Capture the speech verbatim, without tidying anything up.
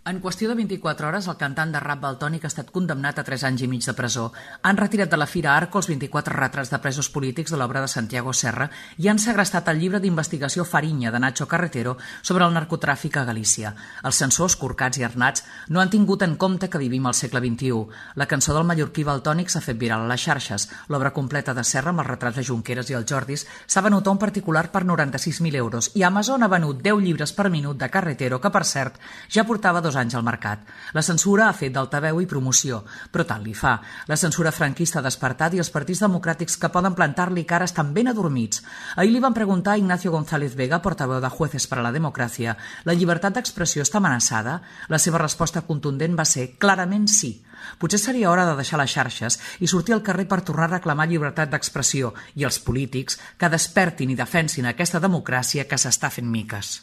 En qüestió de vint-i-quatre hores, el cantant de rap Valtònyc ha estat condemnat a tres anys i mig de presó. Han retirat de la Fira Arco els vint-i-quatre retrats de presos polítics de l'obra de Santiago Serra i han segrestat el llibre d'investigació Fariña de Nacho Carretero sobre el narcotràfic a Galícia. Els censors, Corcats i Arnats, no han tingut en compte que vivim al segle vint-i-u. La cançó del mallorquí Valtònyc s'ha fet viral a les xarxes. L'obra completa de Serra, amb els retrats de Junqueras i els Jordis, s'ha venut a un particular per noranta-sis mil euros i Amazon ha venut deu llibres per minut de Carretero, que, per cert, ja portava dos anys al mercat. La censura ha fet d'altaveu i promoció, però tant li fa. La censura franquista ha despertat i els partits democràtics que poden plantar-li cara estan ben adormits. Ahir li van preguntar a Ignacio González Vega, portaveu de Jueces para la Democràcia, la llibertat d'expressió està amenaçada? La seva resposta contundent va ser clarament sí. Potser seria hora de deixar les xarxes i sortir al carrer per tornar a reclamar llibertat d'expressió i els polítics que despertin i defensin aquesta democràcia que s'està fent miques.